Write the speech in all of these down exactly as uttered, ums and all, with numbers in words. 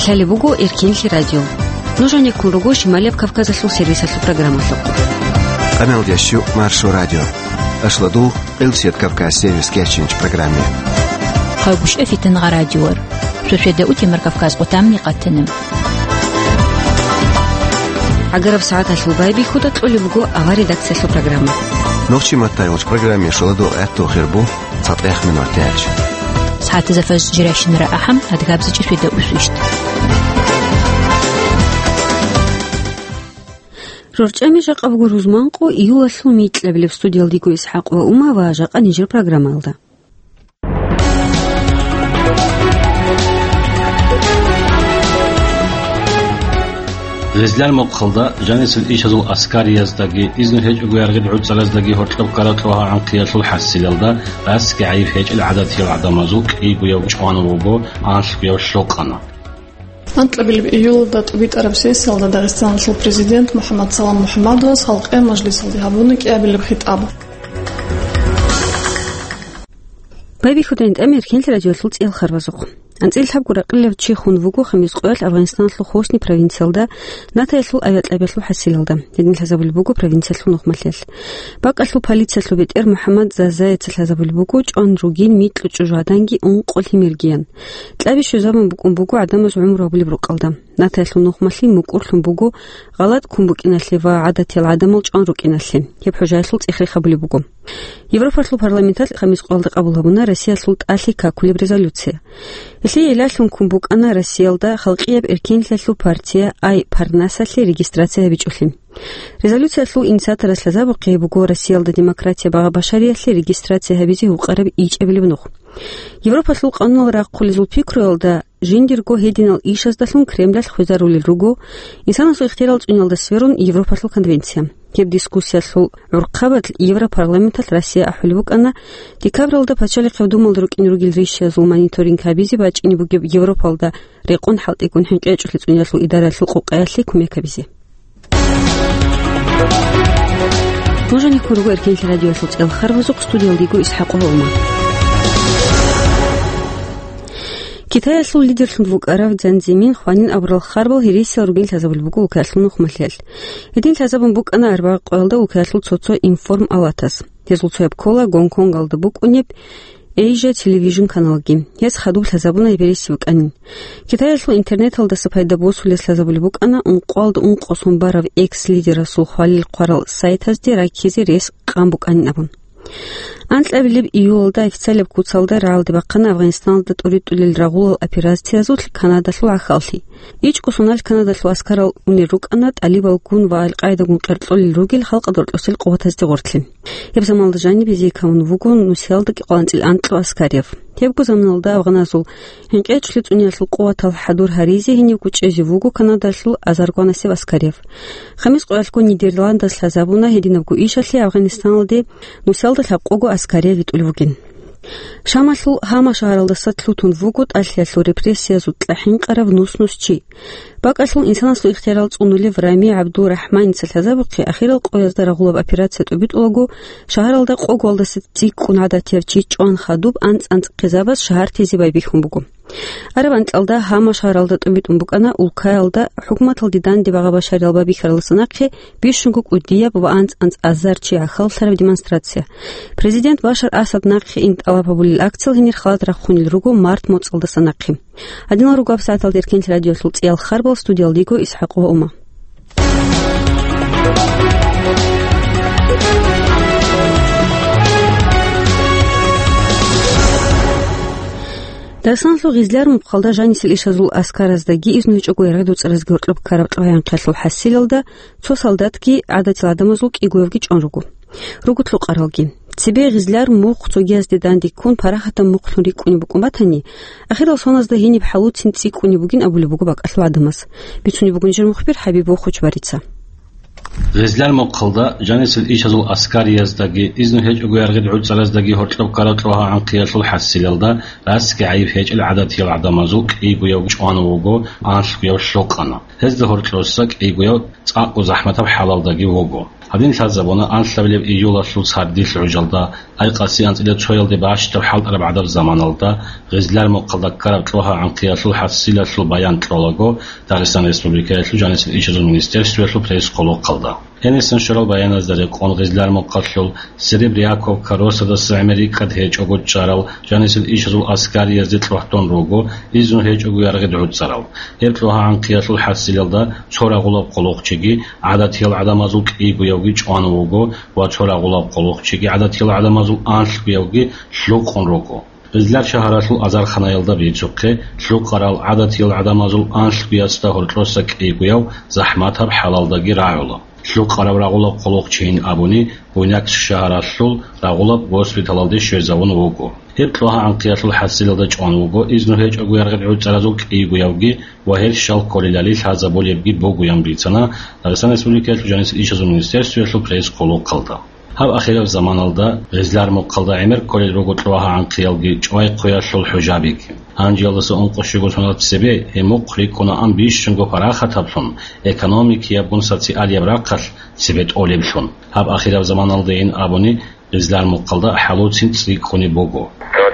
Гьале буго Эркенлъи радио. Нуж гьанеккун руго Шималияб Кавказалъул сервисалъул программалъухъ. Къамел ящу Маршо радио. Ашладу Къилсият Кавказ сервис кечинч программе. Хъагушев Фитнагъа радиор. Шошеда утимар Кавказ къутамни къатанам. Агараб сагӀаталъул байбихьуда кьолеб буго ава редакциялъул программа. Нохчи маттай уч программе шоладу гӀатту хирбу. ЦатӀех минутач. СагӀатазда фажр жирайщинара ахӀам, адгабзичӀи свида усвищт. РорчӀами жакъа буго рузманкъо июлалъул микьабилеб. Студиялдиго ИсхӀакъ ва Ума ва жакъа нижер программаялда. Гъизляр мухъалда жанисел ишазул аскарияздаги, изну гьечӀого яргъил гӀуцӀараздаги гьоркьоб ккараб кьогьа-гӀанкъиялъул хӀасилалда, расги гӀайиб гьечӀел гӀадатиял гӀадамазул кӀийгояв чӀван вуго анлъгояв лъокъана. Анкьабилеб июлалда тӀубитӀараб сессиялда Дагъистаналъул президент МухӀаммад Салам МухӀаммадовас халкъе мажлисалде гьабуна кӀиабилеб хитӀаб. Байбихьудайин тӀамир Хинлъи радиолъул цӀиял харбазухъ. АнцӀил лъабго ракъилав чи хун вуго Хамис къоялъ Афгъанистаналъул Хосни провинциялда, Натаялъул авиакьабиялъул хӀасилалда. Гьедин лъазабулеб буго провинциялъул нухмалъиялъ. БакӀалъул полициялъул бетӀер МухӀаммад Зазаяца лъазабулеб буго чӀван ругин микьу чӀужугӀаданги ункъо лъимергиян. Кьаби щвезабун букӀун буго гӀадамаз гӀумру гьабулеб рукъалда. Натаялъул нухмалъи мукӀурлъун буго гъалатӀ ккун букӀиналъе ва гӀадатиял гӀадамал чӀван рукӀиналъе. Гьеб хӀужаялъул цӀех рехабулеб буго. Европалъул парламенталъ Хамис къоялда къабул гьабуна Россиялъул тӀалъи какулеб резолюция. Гьелъие илалъун ккун букӀана Россиялда халкъияб эркинлъиялъул партия Ай Парнасалъе регистрация гьабичӀолъи. Резолюциялъул инициаторас лъазабухъе буго Россиялда демократия багъа-башариялъе регистрация гьабизе гьукъараб ичӀабилеб нух. Европалъул къануналъ рахъулезул пикруялда жиндирго гьединал ишаздалъун Кремлалъ хвезарулел руго инсанасул ихтиярал цӀуниялда сверун Европалъул конвенция. Гьеб дискуссиялъул гӀурхъабазда Европарламенталъ Россия ахӀулеб букӀана декабралда Пачалихъеб Думалда рукӀине ругел ришшазул мониторинг гьабизе бачӀине бугеб Европалда рекъон хӀалтӀигун хӀинкъичӀолъи цӀуниялъул идараялъул къокъаялъе кумек гьабизе. Нуж гьанеккун руго Эркенлъи радиоялъул цӀиял харбазухъ, студиялдиго ИсхӀакъ ва Ума. Китаялъул лидерлъун вукӀарав Цзян Цзимин хванин абурал харбал гьересиял ругин лъазабулеб буго улкаялъул нухмалъиялъ. Гьедин лъазабун букӀана арбагъ къоялда улкаялъул цо-цо информалатас. Гьезул цояб ккола Гонконгалда букӀунеб Asia Television каналги. Гьес хадуб лъазабуна гьеб гьереси букӀанин. Китаялъул интернеталдаса пайда босулес лъазабулеб букӀана ункъоялда ункъо сон барав экс-лидерасул хвалил хъварал сайтазде раккизе рес къан букӀанин абун. Анкьабилеб июлалда официалаб куцалда рагӀалде бахъана Афгъанистаналда тӀуритӀулел рагъулал операциязулъ Канадалъул гӀахьаллъи. ИчӀго соналъ Канадалъул аскарал унел рукӀана тӀалибалгун ва Ал-Къаидагун къеркьолел ругел халкъалда рокьосел къуватазде гъорлъе. Гьеб заманалда жаниб гьезие камун вуго нусиялда кӀикъоялда анцӀила анкьго аскарияб. Гьебго заманалда афганазул хӀинкъичӀолъи цӀуниялъул къуватал хӀадур гьаризе гьенивго чӀезе вуго Канадалъул азаргванасеб аскарияб. Хамис къоялъго Нидерландас лъазабуна гьединабго ишалъе Афгъанистаналде нусиялда лъабкъого аскарияб витӀулев вугин. Шамалъул Гьама шагьаралдаса лъутун вуго тӀалъиялъул репрессиязул кьахӀинкъараб нус-нус чи. БакӀалъул инсанасул ихтиярал цӀунулев Рами ГӀабдул-РахӀманица лъазабухъе ахирал къоязда рагъулаб операция тӀубитӀулаго, шагьаралда къоголдаса цӀикӀкӀун гӀадатияб чи чӀван хадуб анцӀ-анцӀ хъизабаз шагьартизе байбихьун буго. Араб анкьалда Гьама шагьаралда тӀубитӀун букӀана улкаялда хӀукуматалде данде багъа-башариял байбихьаралдаса нахъе бищунго кӀудияб ва анцӀ-анцӀ азар чи гӀахьаллъараб демонстрация. Президент Башар Асад нахъе ин тӀалаб гьабулел акциял гьенир халат рахъунел руго март моцӀалдаса нахъе. Гьадинал руго гьабсагӀаталда Эркенлъи радиоялъул цӀиял харбал, студиялдиго ИсхӀакъ ва Ума. Дагъистаналъул Гъизляр мухъалда жанисел ишазул аскараздаги изну гьечӀого яргъи дуцӀаразги гьоркьоб ккараб кьваянхъалъул хӀасилалда цо солдатги гӀадатил гӀадамазул кӀигоявги чӀван руго. Руго лъукъаралги. Цебе Гъизляр мухъ цогиязде данде ккун, парахатаб мухълъун рикӀкӀунеб букӀун батани, ахирал соназда гьениб хӀалуцин цӀикӀкӀунеб бугин абулеб буго бакӀалъул гӀадамаз. Бицунеб буго нижер мухбир ХӀабиб Вохучбарица. Гъизляр мухъалда жанисел ишазул аскарияздаги, изну гьечӀого яргъил гӀуцӀараздаги гьоркьоб ккараб кьвагьа-гӀанкъиялъул хӀасилалда расги гӀайиб гьечӀел гӀадатиял гӀадамазул кӀийгояв чӀван вуго, анлъгояв лъокъана. Гьезда гьоркьоса кӀийгояв цӀакъго захӀматаб хӀалалдаги вуго. Гьадин лъазабуна анлъабилеб июлалъул сардилъ гӀужалда, айкъаси анцӀила цоялде бащдаб хӀалтӀараб гӀадаб заманалда, Гъизлар мухъалда ккараб КьогьагӀанхъиялъул хӀасилалъул баян кьолаго Дагъистан Республикаялъул жанисел ишазул министерствоялъул пресс-хъулухъалда. Гьенисан щварал баяназда рекъон, Гъизлар мухъалъул Серебряковка росадаса гӀемер рикӀкӀад гьечӀого чӀарал жанисел ишазул аскариязде кьогьдон руго, изну гьечӀого яргъид гӀуцӀарал. Гьеб КьогьагӀанхъиялъул хӀасилалда цо рагъулаб къулухъчиги гӀадатиял гӀадамазул кӀийгоявги чӀван вуго ва цо рагъулаб къулухъчиги гӀадатиял гӀадамазул анлъгоявги лъукъун руго. Гъизлар шагьаралъул азарханаялда бицухъе, лъукъарал гӀадатиял гӀадамазул анлъгоясда гьоркьоса кӀийгояв захӀматаб хӀалалдаги рагӀула. Лъукъараб рагъулаб къулухъчийин абуни, Буйнакск шагьаралъул рагъулаб госпиталалде щвезавун вуго. Гьеб КьогьагӀанхъиялъул хӀасилалда чӀван вуго, изну гьечӀого яргъид гӀуцӀаразул кӀийгоявги ва гьел щал кколелали лъазабулебги бугоян бицана Дагъистан Республикаялъул жанисел ишазул министерствоялъул пресс-хъулухъалда. Гьаб ахираб заманалда Гъизлар мухъалда гӀемер кколел руго КьогьагӀанхъиялги ЧӀвайхъуялъул хӀужабиги. Гьанжеялдаса ункъо щуго соналъ цебе гьеб мухъ рикӀкӀунаан бищунго парахатаблъун, экономикиябгун социалияб рахъалъ цебе тӀолеблъун. Гьаб ахираб заманалдайин абуни, Гъизлар мухъалда хӀалуцин цӀикӀкӀуни буго.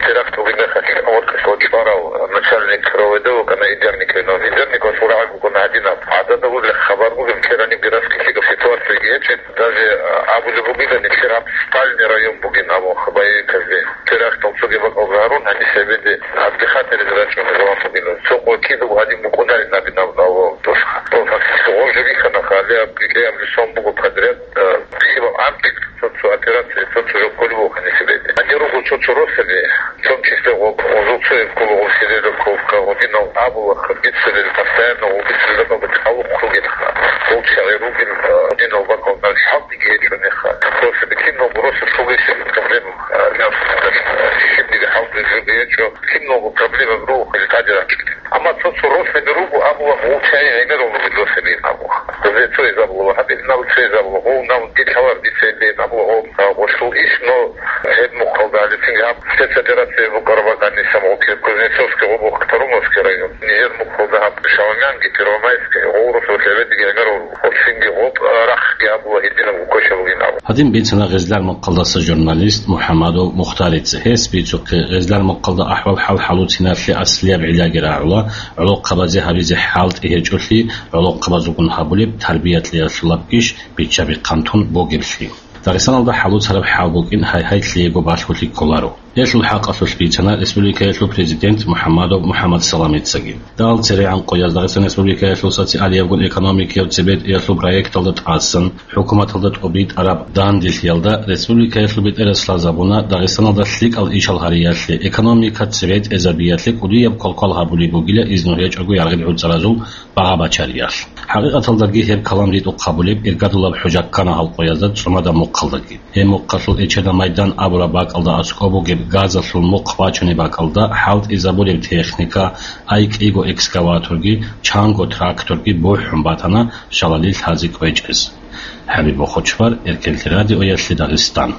Теракт бугеб мехалъ гьоркьоса чӀварав начальник РОВД вукӀана Идерников. Идерниковас урагӀаг вукӀана гьадинаб. ГӀадада гьурлъ хабар бугеб, ккераниб графикалъ гьеб ситуациялги гьечӀеб. Даже, а, абулеб бугилан, нилъер гьаб спальный район бугин абун боевиказде. Терактал цоги бакӀалда гьарун, гьаниб цебеде отдыхать гьаризе рачӀун гьезулан бугилан. Цо къо кидаго гьадин букӀунарин абин абун абун тӀоса. О, фактически гъов жо бихьана, хали аб кӀикӀей аб лисон буго подряд, а, кибаб анкьид цо-цо операция, цо-цо жо кколеб буго гьаниб цебеде. Гьанир руго цо-цо росаби, в том числе гъоб, гъозул цояб ккола гъоб Серебряковка, гъодинал абула, гъоб бицарел, постоянно гъоб бицарел бакӀалда кӀалухъ ругелха. Гъол чагӀи ругел, а, гъодинал бакӀалда хӀалтӀиги гьечӀо нехха. Просто битӀинал просто шугесеб проблема, а, наб, а, щибниги хӀалтӀи жуги гьечӀо. Киналго проблема руго хъали тӀаде рачӀунел. Амма цо-цо росаби руго, абула, гъов чагӀи гӀемерал ругел росаби абула. Гъозе цо изабула, гьаб гьеб нал цо изабула, гъов нал дилъалар дица гьеб абула, гъов, а, гъолъул иш, но гьеб мухъалда гьале цинги гьаб спецоперация букӀараб бакӀаниса гъов Кузнецовский гъоб, Катаруновский район. Нижер мухъалда гьаб Шаламянги, Первомайский, гъов росаб лъебедиги гӀемерал руго. Гъолъинги гъоб, а, рахъги абула гьединаб гуккоча бугин абу. Гьадин бицана Гъизлар мухъалдаса журналист МухӀамадов Мухтарица. Гьес бицухъе, Гъизлар мухъалда ахӀвал-хӀал хӀалуциналъе аслияб гӀиллаги рагӀула, гӀолохъабазе гьабизе хӀалтӀи гьечӀолъи, гӀолохъабазулгун гьабулеб тарбия-кьеялъулаб иш биччаби хъантун бугеблъи. Дагъистаналда хӀалуцараб хӀал букӀин гьай-гьай лъиего балъголъи кколаро. Гьелъул хӀакъалъулъ бицана республикаялъул президент МухӀаммадов МухӀаммад Саламицаги. Дагьал церегӀан къояз Дагъистан Республикаялъул социалиябгун экономикияв цебетӀиялъул проекталда тӀасан, хӀукуматалда тӀубитӀараб данделъиялда республикаялъул бетӀерас лъазабуна Дагъистаналда лъикӀал ишал гьариялъе, экономика цебетӀезабиялъе кӀудияб квалквал гьабулеб бугила изну гьечӀого яргъил гӀуцӀаразул багъа-бачариялъ. ХӀакъикъаталдаги гьеб калам ритӀухъ гьабулеб иргадулаб хӀужа ккана гьал къоязда ЦӀумада мухъалдаги. Гьеб мухъалъул Эчеда майдан абураб бакӀалда аскӀоб бугеб газалъул мухъ бачунеб бакӀалда хӀалтӀизабулеб техника, ай кӀиго экскаваторги, чанго тракторги бухӀун батана шалали лъазе кӀвечӀез. ХӀабиб Бохочвар, Эркенлъи радиоялъе Дагъистан.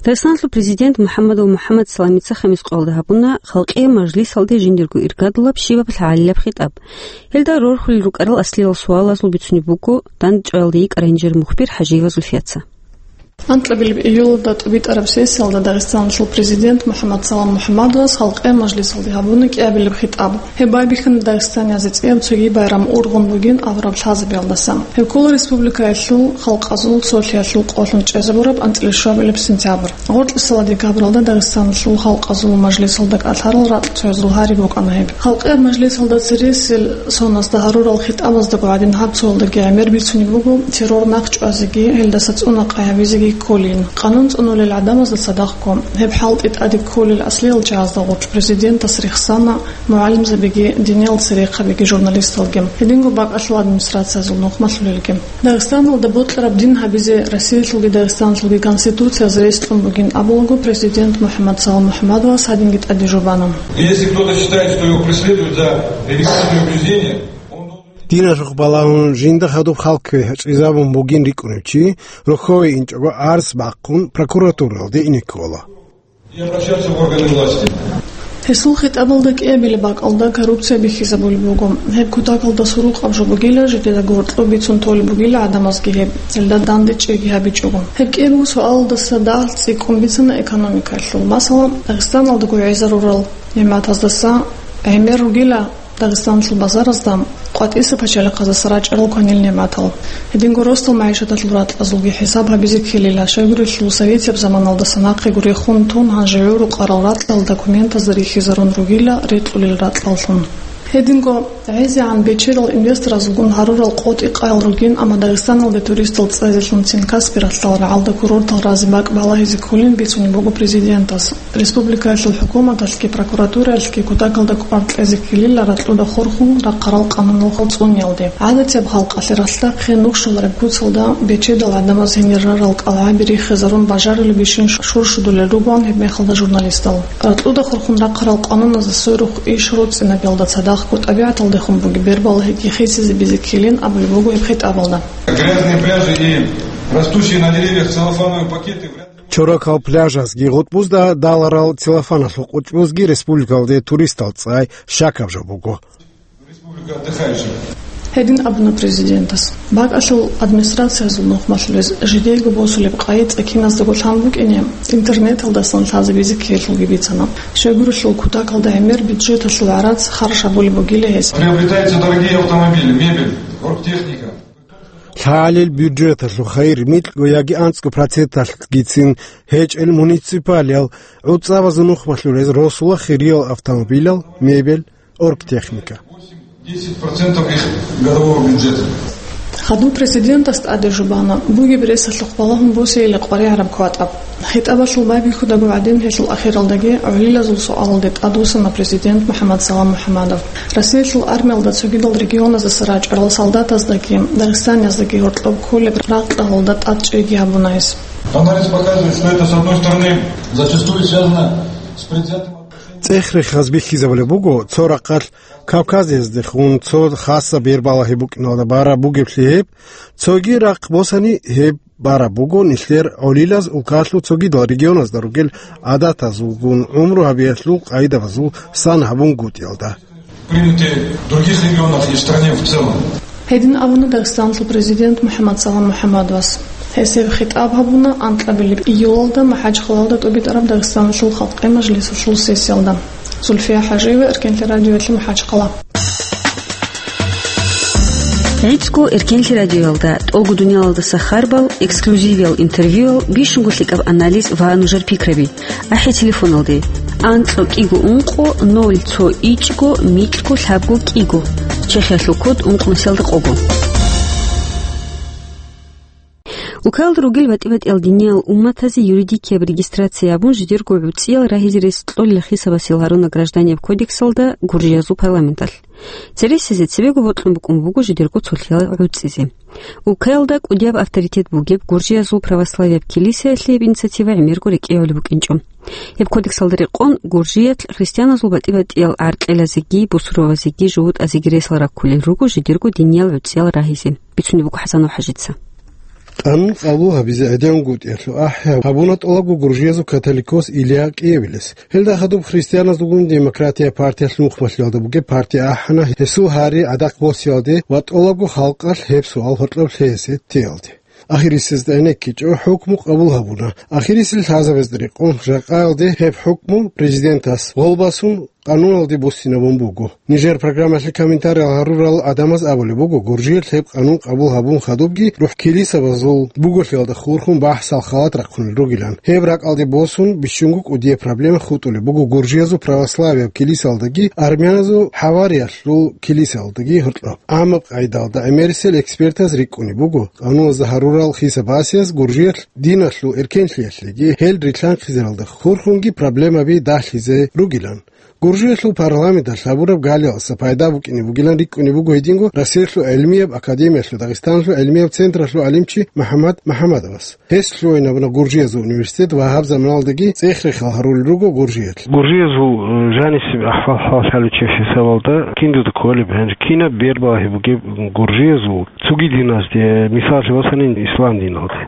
Дагъистаналъул президент МухӀаммадов МухӀаммад Саламица хамис къоялда гьабуна Халкъиял мажлисалде жиндирго иргадулаб щибаб лъагӀалилаб хитӀаб. Гьелда рорхулел рукӀарал аслияб суалазул бицунеб буго дандчӀваялда йикӀарай нижер мухбир ХӀажиева Зульфияца. Анкьабилеб июлалда тӀубитӀараб сессиялда Дагъистаналъул президент МухӀаммад Салам МухӀаммадовас Халкъиял мажлисалде гьабуна кӀиабилеб хитӀаб. Гьеб байбихьана дагъистаниязда цӀияб цоги байрам ургъун бугин абураб лъазабиялдаса. Гьеб ккола республикаялъул халкъазул цолъиялъул къолъун чӀезабураб анцӀила щуабилеб сентябрь. Гъоркьиса ладикабралда Дагъистаналъул Халкъазул мажлисалда кӀалъарал ракь цоязул гьари букӀана гьеб. Халкъиял мажлисалда цересел соназда гьарурал хитӀабаздаго гӀадин гьаб цоялдаги гӀемер бицунеб буго террор нахъ чӀвазеги, гьелдаса цӀуна къай гьабизеги кколин, къанун цӀунулел гӀадамазда цадахъго. Гьеб хӀалтӀи тӀаде кколел аслиял чагӀазда гъоркь президентас рехсана мугӀалимзабиги, диниял церехъабиги, журналисталги, гьединго бакӀалъул администрациязул нухмалъулелги. Дагъистаналда бокьараб дин гьабизе Россиялъулги Дагъистаналъулги конституциялъ рес кьун бугин абулаго, президент МухӀаммад Салам МухӀаммадовас гьадинги тӀаде жубана. Если кто-то считает, что его преследуют за религиозные убеждения, он должен... Диналъухъ балагьун жинда хадуб хал кквечӀезабун бугин рикӀкӀунев чи, рохьове инчӀого арц бахъун прокуратуралде ине ккола. И обращаться в органы власти. Гьесул хитӀабалда кӀиабилеб бакӀалда коррупция бихьизабулеб буго. Гьеб кутакалда сурукъаб жо бугила, жидеда гьоркьоб бицун толеб бугила гӀадамазги гьеб, гьелда данде чӀейги гьабичӀого. Гьеб кӀиябго суалалдаса дагь цӀикӀкӀун бицана экономикалъул. Масала, Дагъистаналдаго гӀезарурал нигӀматаздаса гӀемер ругила Дагъистаналъул базаразда къватӀиса пачалихъаздаса рачӀарал кванил нигӀматал. Гьединго росдал магӀишаталъул ракьазулги хӀисаб гьабизе ккелила, щайгурелъул советияб заманалдаса нахъе гуре хун тун гьанже гӀурукъарал ракьал документазда рихьизарун ругила рекьулел ракьаллъун. Гьединго гӀезегӀан бечедал инвесторазулгун гьарурал къотӀи-къаял ругин, амма Дагъистаналде туристал цӀезелъун Цинкасби ралъдал рагӀалда курортал разе бакӀ балагьизе кколин бицунеб буго президентас. Республикаялъул хӀукуматалъги прокуратураялъги кутакалда кӀвар кьезе ккелила ракьуда хурхун рахъарал къануналъул цӀуниялде. ГӀадатияб халкъалъе ралъдахъе нух щолареб куцалда бечедал гӀадамаз гьенир рарал кӀалгӀаби риххизарун бажарулебищин шуршудулел ругоан гьебмехалда журналистал. Ракьуда хурхун рахъарал къануназда сверухъ иш руцӀцӀинабиялда цадахъго тӀабигӀаталдехун бугеб бербалагьиги хисизе бизе ккелин абулеб буго гьеб хитӀабалда. Грязные пляжи и растущие на деревьях целлофановые пакеты вряд ли Чорокал пляжазги гъутӀбузда даларал целлофаналъул къучӀбузги республикалде туристал цӀай щакаб жо буго. Республика отдыхающих. Гьедин абуна президентас. БакӀалъул администрациязул нухмалъулез жидейго босулеб къайи цӀакиназдаго лъан букӀине, интернеталдасан лъазе бизе ккелъулги бицана. Щайгурелъул кутакалда гӀемер бюджеталъул гӀарац харж гьабулеб бугила гьес. Приобретаются дорогие автомобили, мебель, оргтехника. Лъалел бюджеталъул хайир микьго яги анцӀго проценталъгицин гьечӀел муниципалиял гӀуцӀабазул нухмалъулез росула хириял автомобилал, мебель, оргтехника. Десять процентов их годового бюджета. Хадуб президентас тӀаде жубана, бугеб ресалъухъ балагьун босейила къваригӀараб кватӀаб. ХитӀабалъул байбихьудаго гӀадин гьелъул ахиралдаги гӀолилазул суалалде тӀадвуссана президент МухӀаммад Салам МухӀаммадов. Россиялъул армиялда цогидал регионаздаса рачӀарал солдатаздаги дагъистанияздаги гьоркьоб кколеб рагъ-кьалалда тӀад чӀейги гьабуна гьес. Анализ показывает, что это, с одной стороны, зачастую связано с предвзятым отношением. ЦӀех-рехаз бихьизабулеб буго, цо рахъалъ Кавказияздехун цо хаса бербалагьи букӀиналда бараб бугеблъи гьеб, цоги рахъ босани гьеб бараб буго нилъер гӀолилаз улкалъул цогидал регионазда ругел гӀадатазулгун гӀумру гьабиялъул къайдабазул сан гьабунгутӀиялда. Приняты в других регионах и в стране в целом. Гьедин абуна Дагъистаналъул президент МухӀаммад Салам МухӀаммадовас. Гьес гьеб хитӀаб гьабуна анкьабилеб июлалда МахӀачхъалалда тӀубитӀараб Дагъистаналъул халкъи мажлисалъул сессиялда. Зульфия ХӀажиева, Эркенлъи радиоялъ, МахӀачхъала. ГӀицӀго Эркенлъи радиоялда тӀолго дуниялалдаса харбал, эксклюзивиял интервьюял, бищунго лъикӀаб анализ ва нужер пикраби. АхӀи телефоналде: анцӀго кӀиго ункъо ноль цо ичӀго микьго лъабго кӀиго. Чехиялъул код ункънусиялда къого. Улкаялда ругел батӀи-батӀиял диниял умматазе юридикияб регистрация гьабун, жидерго гӀуцӀиял рагьизе рес кьолел хисабасел гьаруна Гражданияб кодексалда гуржиязул парламенталъ. Цересезе цебего бокьун букӀун буго жидерго цолъиял гӀуцӀизе. Улкаялда кӀудияб авторитет бугеб гуржиязул православияб килисаялъе гьеб инициатива гӀемерго рекӀеявулеб букӀинчӀо. Гьеб кодексалда рекъон гуржиялъ христианазул батӀи-батӀиял гӀаркьелазеги, бусурбабазеги, жугьутӀазеги ресал раккулел руго жидерго диниял гӀуцӀиял рагьизе, бицунеб буго ХӀасанов ХӀажица. Къанун къабул гьабизе гӀедегӀунгутӀиялъул ахӀи гьабуна тӀолабго гуржиязул католикос Илья кӀиабилес. Гьелда хадуб христианазулгун Демократия партиялъ нухмалъиялда бугеб партия ахӀана гьесул гьари гӀадахъ босиялде ва тӀолабго халкъалъ гьеб суал гьоркьоб лъезе теялде. Ахирисезда гӀенеккичӀо хӀукму къабул гьабуна. Ахирисел лъазабазда рекъон, жакъаялде гьеб хӀукму президентас гъолбасун къануналде буссинабун буго. Нижер программалъе комментариял гьарурал гӀадамаз абулеб буго, гуржиялъ гьеб къанун къабул гьабун хадубги рухӀ килисабазул буголъиялда хурхун бахӀсал халат рахъунел ругилан. Гьеб ракӀалде босун, бищунго кӀудияб проблема хутӀулеб буго гуржиязул православияб килисалдаги армяназул хӀавариялъул килисалдаги гьоркьоб. ГӀамаб къайдалда гӀемерисел экспертаз рикӀкӀунеб буго, къануналда гьарурал хисабасиз гуржиялъ диналъул эркенлъиялъеги гьел рилълъанхъизаралда хурхунги проблемаби дагьлъизе ругилан. Гуржиялъул парламенталъ гьабураб галиялдаса пайда букӀине бугилан рикӀкӀунеб буго гьединго Россиялъул гӀилмияб академиялъул Дагъистаналъул гӀилмияб центрлъул гӀалимчи МухӀаммад МухӀаммадовас. Гьес лъугьинабуна гуржиязул университет ва гьаб заманалдаги цӀех-рехал гьарулел руго гуржиялъ. Гуржиязул, э, жанисеб ахӀвал-хӀал лъалев чи хӀисабалда киназда кколеб, гьанже кинаб бербалагьи бугеб гуржиязул цоги диназде, мисаллъи босани, ислам диналде?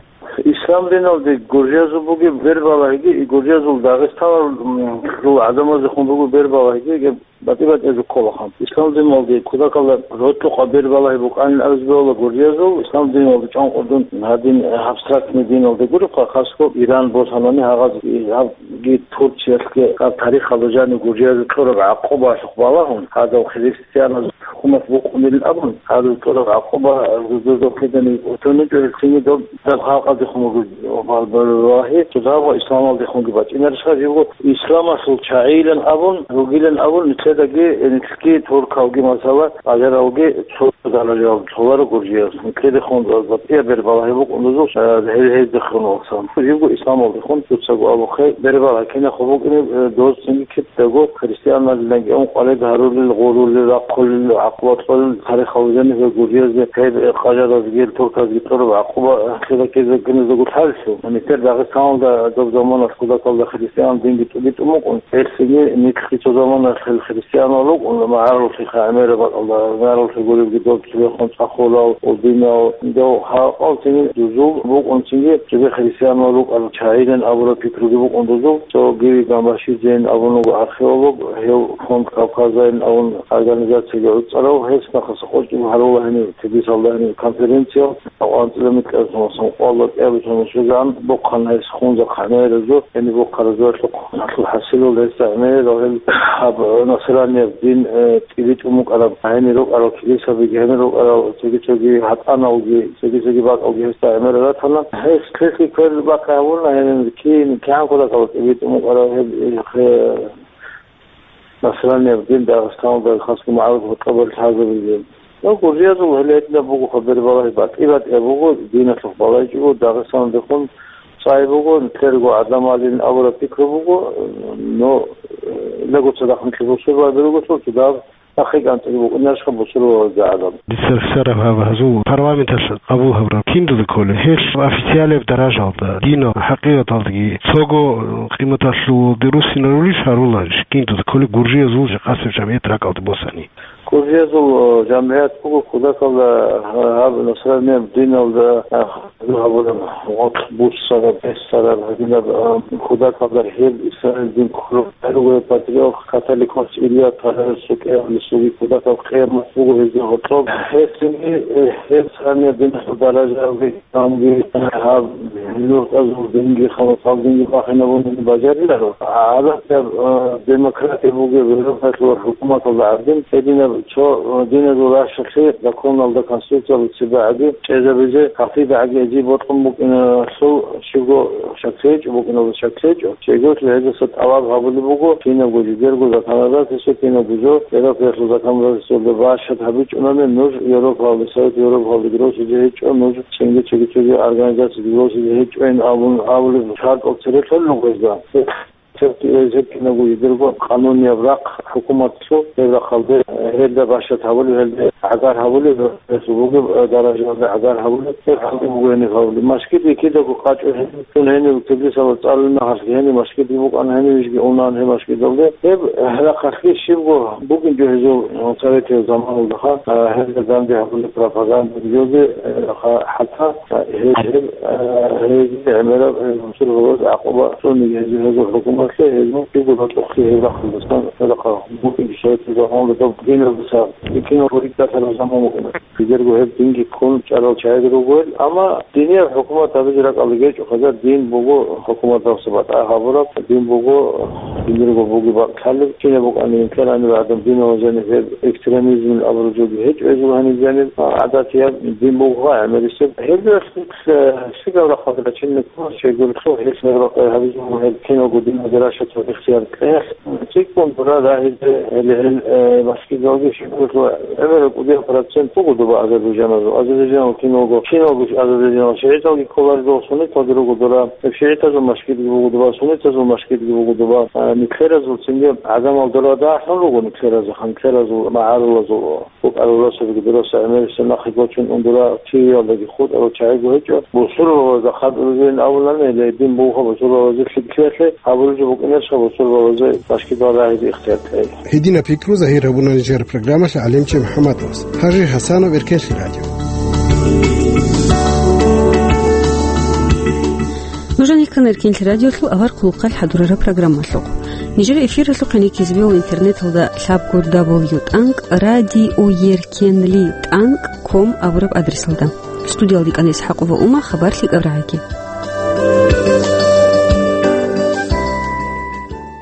Ислам диналде гуржиязул бугеб бербалагьиги, и гуржиязул Дагъистаналъул гӀадамазехун бугеб бербалагьиги, гьеб батӀи-батӀияб жо кколаха. Ислам диналде кутакалда рокьукъа бербалагьи букӀанин абизе бегьула гуржиязул. Ислам диналде чӀанкъудун гьадин абстрактный диналде гуребха, хасго Иран босанани гьагъаз, гьабги Турциялъги гьаб тарихалда жанив гуржиязул кьураб гӀакъубалъухъ балагьун, гьадав христианаз хӀукумат букъунилин абун, гьадул кьураб гӀакъуба, э, жо-, жо-, жо кидани утуничӀо, гьелцинги доб, доб халкъалдехун буго, валлагьи, цо дагьаб исламалдехунги бачӀинарищха, живго исламалъул чагӀийилан абун, ругилан абун, нилъедаги, э, нилъги туркалги, масала, къажаралги цо даражаялда цоларо гуржияз. Нилъедехун батӀияб бербалагьи букӀун дозул, э, гьел-, гьездехун валсан. Живго исламалдехун, дуцаго абухъе, бербалагьи кинахъо букӀине, э, доз цинги кидаго христианалиланги ункъоялда гьарулел, гъурулел, рахъулел, гӀакъуба кьолел, тарихалда жаниб гьел гуржиязде, гьеб къажаразги, гьел турказги кьураб гӀакъуба, э, хиракизегиназдаго лъаллъу. Нилъер Дагъистаналда доб заманалъ кутакалда христиан динги тӀубитӀун букӀун. Гьелъги нилъги цо заманалъ христианал рукӀун, магӀарулъи гӀемераб бакӀалда, магӀарулъи гуребги доб цебехун цӀахулал, удинал, дов халкъал цинги дузул букӀун цинги, цебе христианал рукӀарал чагӀилан абураб пикруги букӀун дузул, цо гиви Гамбашидзейин абун вуго археолог, гьев Фонд Кавказайин абун организацияги гӀуцӀарав, гьес нахъаса къочӀи гьарула гьениб, Тбилисалда гьениб конференция, анцӀила микьаб сунасан къвалла кӀиабилеб сунасузан бухъана гьес хунза хъамеразу, гьениб бухъаразулъухъ, гьалъул хӀасилал гьесда гӀемерал гьел гьаб насранияб дин, э, тӀибитӀун букӀараб, гьенир рукӀарал килисаби, гьенир рукӀарал цоги-цоги гьатӀаналги, цоги-цоги бакӀалги гьесда гӀемерал ратана. Гьес квешлъи квер бахъи гьавуна, гьенир кин, кигӀан кутакалда тӀибитӀун букӀараб гьеб, э, насранияб дин Дагъистаналда хасго магӀарул гьоркьобалъ лъазабизе. Ну, гуржиязул гьеле гьединаб буго, хабар балагьи батӀи-батӀияб буго, диналъухъ балайчӀого Дагъистаналдехун цӀай буго, нилъерго гӀадамалин абураб пикру буго, но, э, лаго цадахъ нилъ бусурбаби руго, цо цадахъ нахъе кӀанцӀиги букӀунарищха бусурбабазда гӀадаб? Дица рехсараб гьаб гьазул парламенталъ къабул гьабураб киндуда кколеб, гьелъ официалияб даражалда, динал хӀакъикъаталдаги цого къиматалъулги руссинарулищ, гьаруларищ, киндуда кколеб гуржиязул жакъасеб жамгӀият ракӀалде босани? Гуржиязул, э, жамгӀият буго кутакалда, э, гьаб насранияб диналда, э, гьабураб гъоркь буссараб, бессараб гьадинаб, э, кутакалда гьеб исламияб дин кколеб гьаруго патриарх католикос Илья Второй сукӀаялъул кутакаб къиямат буго гьезда гьоркьоб. Гьесги, э, гьеб насранияб диналъул даражаялги Гьанже гьаб нугӀзазул динги, халасал динги бахинабун бажариларо. ГӀадатаб, э, демократия бугеб Европалъул хӀукуматалда гӀадин, гьединаб цо, э, диназул рахьалъе законалда, конституциялда цебе гӀаги чӀезабизе, гьатӀида гӀаги гьезие бокьун букӀиналъул щибго шак гьечӀо, букӀиналда шак гьечӀо. Щайгурелъул гьезаса тӀалаб гьабулеб буго, кинабго жидерго законодательство, кинабго жо, Европалъул законодательствоялда бащад гьабичӀунани нуж Европалде, Совет Европалде гросизе гьечӀо, нуж цинги цоги-цоги организациялде гросизе гьечӀойин абун абулеб шартӀал цере лъолел гьезда. Гьеб кинабго жидерго къанунияб рахъ хӀукуматлъул, гьеб рахъалде гьелда бащад гьабулеб, гьелда гӀагар гьабулеб, гьелъул бугеб даражаялда гӀагар гьабулеб, гьеб гьанже буго гьениб гьабулеб. Мажгит кидаго къачӀо гьениб, цун гьениб Тбилисалда цӀалулеб мехалъги гьениб мажгитги букӀана, гьениб жинги унана гьеб мажгиталде. Гьеб гьарахъалъги щибго бугин жо гьезул советиял заманалдаха, а, гьезда данде гьабулеб пропаганда жозе, а, ха-, хӀатта, а, гьез, гьеб, а, гьезие гӀемераб, а, бусурбабаз гӀакъуба цӀуниги гьезие, гьезул хӀукуматлъи, гьезул щибго батӀухъги гьеб рахъалдасан, гьеб рахъалъ букӀин советиял заманалда доб диналдаса, дикинал рикӀкӀалъараб заман букӀина. Жидерго гьеб динги ккун чӀарал чагӀи ругел, амма динияб хӀукумат гьабизе ракӀалде гьечӀо, хадур дин буго хӀукуматалъа батӀа гьабураб, дин буго, динирго бугеб бакӀ лъалеб, кинаб букӀанин ккелани гӀадам динал жаниб гьеб экстремизмил абураб жоги гьечӀо гьезул гьаниб жаниб, гӀадатияб дин буго гӀемерисеб. Гьеб Э, щибаб рахъалда рачине ккола, щайгурелъул гьелъ гьеб рахъ гьабизе гьел киналго диназда рашатал ихтияр кьеялъ. ЦӀикӀкӀун дура рагьизе гьел, гьел, э, мажгиталги щиб гьелъул гӀемерал кӀудияб процент буго доба азербайджаназул. Азербайджанал киналго, киналго азербайджанал шигӀиталги кколаро доба, сунниталги руго дура. Гьеб шигӀитазул мажгитги буго доба, суннитазул мажгитги буго доба. Э, нилъеразул цинги гӀадамал дура дагьлъун руго нилъеразул, нилъеразул магӀарулазул. БукӀарал росулги дураса гӀемерисеб нахъе гочун ундура, ТВ-ялдаги хутӀарал чагӀиго гьечӀо. Бусурбабазда хадуризейин абулани, гьеле дин бугоха бусурбабазе лъикӀлъиялъе, гьабулеб жо букӀинарищха бусурбабазе башкидал рагьизе ихтияр кьей? Гьединаб пикру загьир гьабуна нижер программалъ гӀалимчи МухӀаммадовас. Гьажи Гьасанов, Эркенлъи радио. Нуж гьанир ккана Эркенлъи радиолъул авар хъулухъалъ хӀадурараб программалъухъ. Нижер эфиралъухъе кӀизе бегьула интернеталда лъабго дабл ю тӀанкӀ радиоеркенли тӀанкӀ ком абураб адресалда. Студиялда кӀана ИсхӀакъова Ума, хабар лъикӀаб рагӀаги.